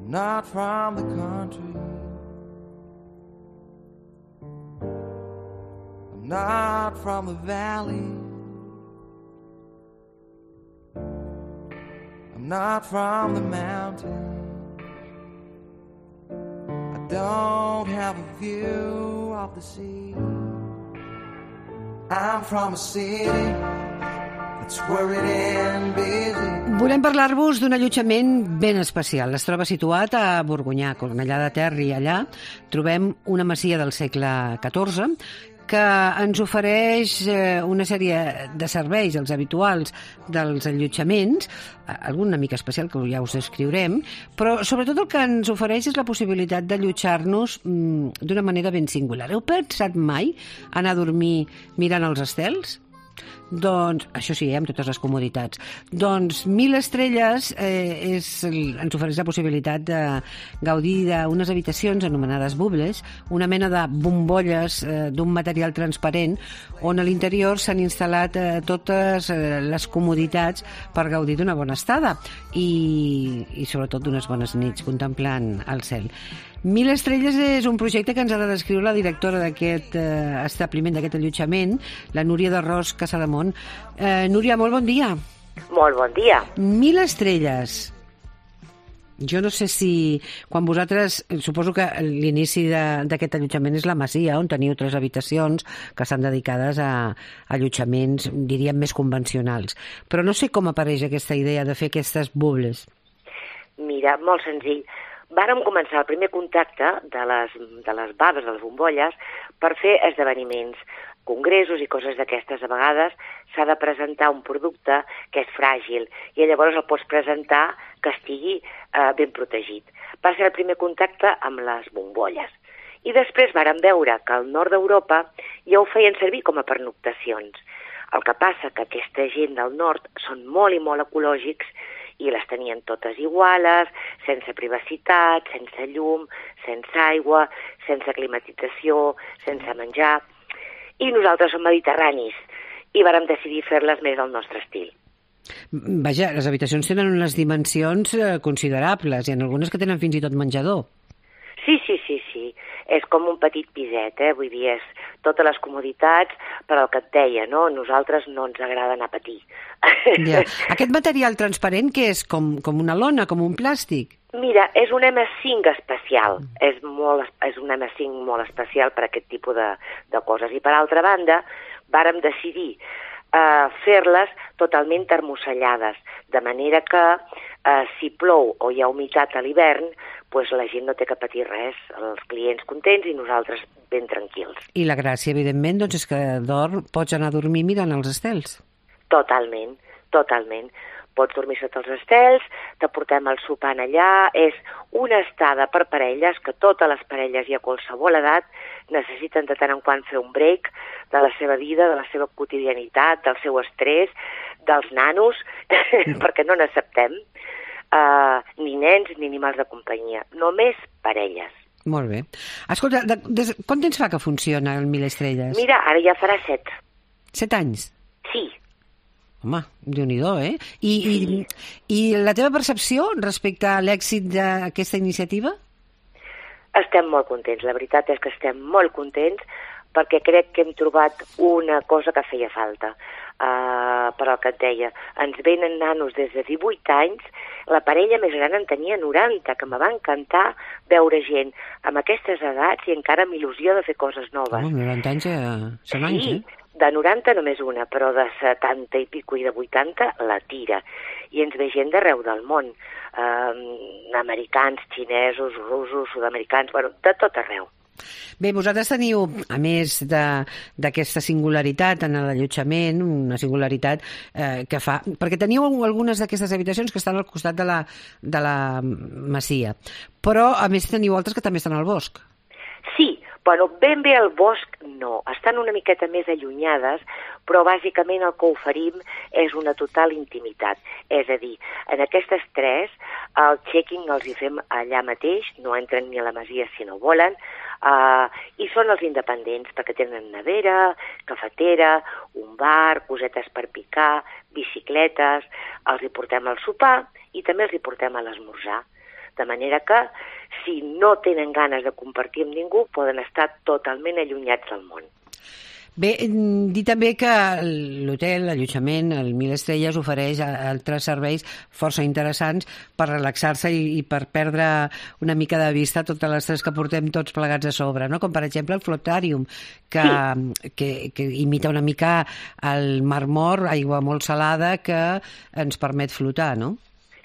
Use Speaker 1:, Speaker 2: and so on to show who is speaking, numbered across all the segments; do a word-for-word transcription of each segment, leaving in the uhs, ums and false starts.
Speaker 1: I'm not from the country. I'm not from the valley. I'm not from the mountains. I don't have a view of the sea. I'm from a city that's worried and busy.
Speaker 2: Volem parlar-vos d'un allotjament ben especial. Es troba situat a Borgonyà, Cornellà de Ter, i allà trobem una masia del segle catorze que ens ofereix una sèrie de serveis, els habituals dels allotjaments, algun una mica especial que ja us descriurem, però sobretot el que ens ofereix és la possibilitat d'allotjar-nos d'una manera ben singular. Heu pensat mai anar a dormir mirant els estels? Doncs, això sí, eh, amb totes les comoditats. Doncs Mil Estrelles eh, és, ens ofereix la possibilitat de gaudir d'unes habitacions anomenades bubles, una mena de bombolles eh, d'un material transparent on a l'interior s'han instal·lat eh, totes eh, les comoditats per gaudir d'una bona estada i, i sobretot d'unes bones nits contemplant el cel. Mil Estrelles és un projecte que ens ha de descriure la directora d'aquest eh, establiment, d'aquest allotjament, la Núria de Ros Casademont. Eh, Núria, molt bon dia.
Speaker 3: Molt bon dia.
Speaker 2: Mil Estrelles. Jo no sé si, quan vosaltres, suposo que l'inici d'aquest allotjament és la masia, on teniu tres habitacions que estan dedicades a allotjaments, diríem, més convencionals. Però no sé com apareix aquesta idea de fer aquestes bubles.
Speaker 3: Mira, molt senzill. Vàrem començar el primer contacte de les, de les baves, de les bombolles, per fer esdeveniments, congressos i coses d'aquestes. A vegades s'ha de presentar un producte que és fràgil i llavors el pots presentar que estigui eh, ben protegit. Va ser el primer contacte amb les bombolles. I després vàrem veure que al nord d'Europa ja ho feien servir com a pernoctacions. El que passa que aquesta gent del nord són molt i molt ecològics i les tenien totes iguales, sense privacitat, sense llum, sense aigua, sense climatització, sense menjar. I nosaltres som mediterranis i vàrem decidir fer-les més al nostre estil.
Speaker 2: Vaja, les habitacions tenen unes dimensions considerables, i en algunes que tenen fins i tot menjador.
Speaker 3: Sí, sí, sí, sí. És com un petit piset, eh? Vull dir, és totes les comoditats, però el que et deia, no? A nosaltres no ens agrada anar a patir.
Speaker 2: Ja. Aquest material transparent, què és? Com, com una lona, com un plàstic?
Speaker 3: Mira, és un ema cinc especial. Mm. És, molt, és un ema cinc molt especial per a aquest tipus de, de coses. I per altra banda, vàrem decidir eh, fer-les totalment termocellades, de manera que eh, si plou o hi ha humitat a l'hivern, pues la gent no té que patir res, els clients contents i nosaltres ben tranquils.
Speaker 2: I la gràcia, evidentment, doncs és que dorm, pots anar a dormir mirant els estels.
Speaker 3: Totalment, totalment. Pots dormir sota els estels, te portem el sopar allà, és una estada per parelles, que totes les parelles i a qualsevol edat necessiten de tant en quant fer un break de la seva vida, de la seva quotidianitat, del seu estrès, dels nanos, mm. perquè no n'acceptem. Uh, ni nens ni animals de companyia, només parelles.
Speaker 2: Molt bé. Escolta, de, de, quant temps fa que funciona el Mil Estrelles?
Speaker 3: Mira, ara ja farà set.
Speaker 2: Set anys?
Speaker 3: Sí.
Speaker 2: Home, Déu-n'hi-do, eh? I, sí. i, I la teva percepció respecte a l'èxit d'aquesta iniciativa?
Speaker 3: Estem molt contents, la veritat és que estem molt contents perquè crec que hem trobat una cosa que feia falta. Uh, però el que et deia, ens venen nanos des de divuit anys, la parella més gran en tenia noranta, que me va encantar veure gent amb aquestes edats i encara amb il·lusió de fer coses noves.
Speaker 2: Oh, noranta anys ja són anys,
Speaker 3: sí,
Speaker 2: eh?
Speaker 3: De noranta només una, però de setanta i pico i de vuitanta la tira. I ens ve gent d'arreu del món, uh, americans, xinesos, russos, sud-americans, bueno, de tot arreu.
Speaker 2: Bé, vosaltres teniu, a més d'aquesta singularitat en l'allotjament, una singularitat eh, que fa... Perquè teniu algunes d'aquestes habitacions que estan al costat de la, de la masia, però a més teniu altres que també estan al bosc.
Speaker 3: Sí, bueno, ben bé al bosc no, estan una miqueta més allunyades, però bàsicament el que oferim és una total intimitat. És a dir, en aquestes tres, el checking els hi fem allà mateix, no entren ni a la masia si no volen, Uh, i són els independents perquè tenen nevera, cafetera, un bar, cosetes per picar, bicicletes, els hi portem al sopar i també els hi portem a l'esmorzar. de manera que, si no tenen ganes de compartir amb ningú, poden estar totalment allunyats del món.
Speaker 2: Bé, dir també que l'hotel, l'allotjament, el Mil Estrelles ofereix altres serveis força interessants per relaxar-se i, i per perdre una mica de vista totes les tres que portem tots plegats a sobre, no? Com per exemple el Flotarium, que, sí. que, que imita una mica el Mar Mort, aigua molt salada, que ens permet flotar, no?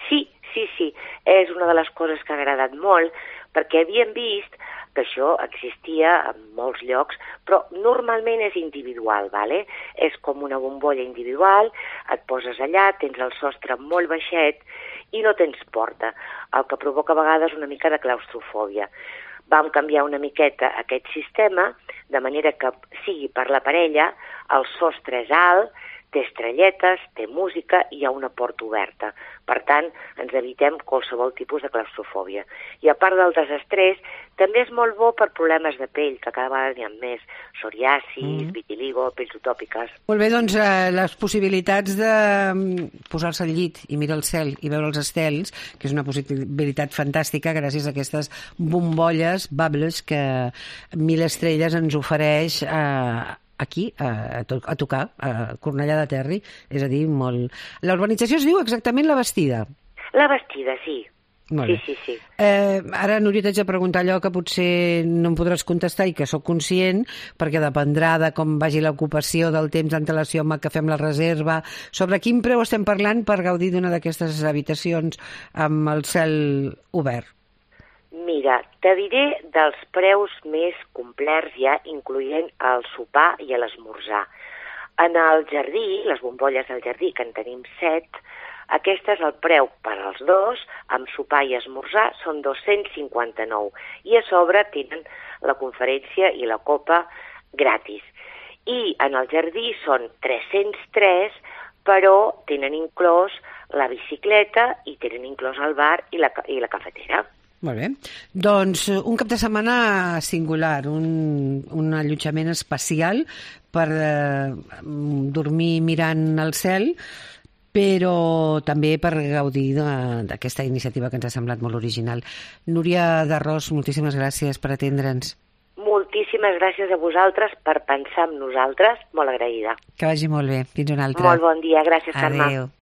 Speaker 3: Sí, sí, sí. És una de les coses que ha agradat molt, perquè havíem vist que això existia en molts llocs, però normalment és individual, vale? És com una bombolla individual, et poses allà, tens el sostre molt baixet i no tens porta, el que provoca a vegades una mica de claustrofòbia. Vam canviar una miqueta aquest sistema, de manera que sigui per la parella, el sostre és alt, té estrelletes, té música i hi ha una porta oberta. Per tant, ens evitem qualsevol tipus de claustrofòbia. I a part del desestrès, també és molt bo per problemes de pell, que cada vegada n'hi ha més. Psoriasis, mm. vitiligo, pells utòpiques.
Speaker 2: Molt bé, doncs eh, les possibilitats de posar-se al llit i mirar el cel i veure els estels, que és una possibilitat fantàstica gràcies a aquestes bombolles, bubbles, que Mil Estrelles ens ofereix eh, aquí, a, a, to a tocar, a Cornellà de Terri, és a dir, molt... La urbanització es diu exactament La Bastida.
Speaker 3: La Bastida, sí.
Speaker 2: Molt
Speaker 3: sí,
Speaker 2: bé.
Speaker 3: sí, sí.
Speaker 2: Eh, ara, Núria, t'haig de preguntar allò que potser no em podràs contestar i que sóc conscient, perquè dependrà de com vagi l'ocupació del temps d'antelació amb què fem la reserva. Sobre quin preu estem parlant per gaudir d'una d'aquestes habitacions amb el cel obert?
Speaker 3: Mira, te diré dels preus més complets ja, incloent el sopar i l'esmorzar. En el jardí, les bombolles del jardí, que en tenim set, aquest és el preu per als dos, amb sopar i esmorzar, són dos-cents cinquanta-nou. I a sobre tenen la conferència i la copa gratis. I en el jardí són tres-cents tres, però tenen inclòs la bicicleta i tenen inclòs el bar i la, i la cafetera.
Speaker 2: Molt bé. Doncs un cap de setmana singular, un, un allotjament especial per eh, dormir mirant el cel, però també per gaudir d'aquesta iniciativa que ens ha semblat molt original. Núria d'Arròs, moltíssimes gràcies per atendre'ns.
Speaker 3: Moltíssimes gràcies a vosaltres per pensar en nosaltres, molt agraïda.
Speaker 2: Que vagi molt bé. Fins una altra.
Speaker 3: Molt bon dia, gràcies, Carme.
Speaker 2: Adéu.